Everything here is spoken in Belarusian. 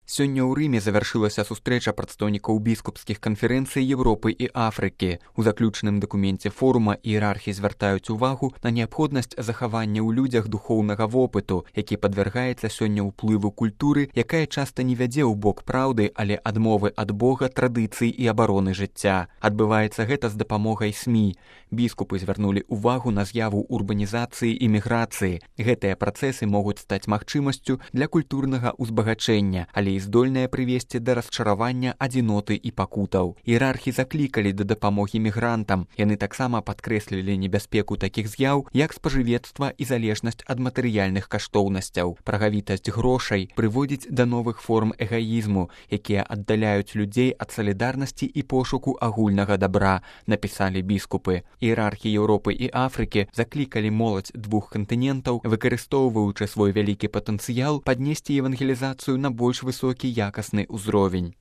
Сёння ў Рыме завяршылася сустрэча прадстаўнікоў біскупскіх канферэнцый Европы і Афрыкі. У заключным дакуменце форума іерархі звяртаюць увагу на неабходнасць захавання ў людзях духоўнага вопыту, які падвяргаецца сёння ўплыву культуры, якая часта не вядзе ў бок праўды, але адмовы ад Бога, традыцый і абароны жыцця. Адбываецца гэта з дапамогай СМІ. Біскупы звярнулі увагу на з'яву урбанізацыі і міграцыі. Гэтыя працэсы могуць стаць магчымасцю для культурнага ўзбагачэння, але і здольныя прывесці да расчаравання, адзіноты і пакутаў. Іерархі заклікалі да дапамогі мігрантам. Яны таксама падкрэслілі небяспеку такіх з'яў, як спажывецтва і залежнасць ад матэрыяльных каштоўнасцяў. Прагавітасць грошай прыводзіць да новых форм эгаізму, якія аддаляюць людзей ад салідарнасці і пошуку агульнага дабра, напісалі біскупы. Іерархі Еўропы і Афрыкі заклікалі моладзь двух кантынентаў, выкарыстоўваючы свой вялікі патэнцыял, паднесці евангелізацыю на больш высокі якасны ўзровень.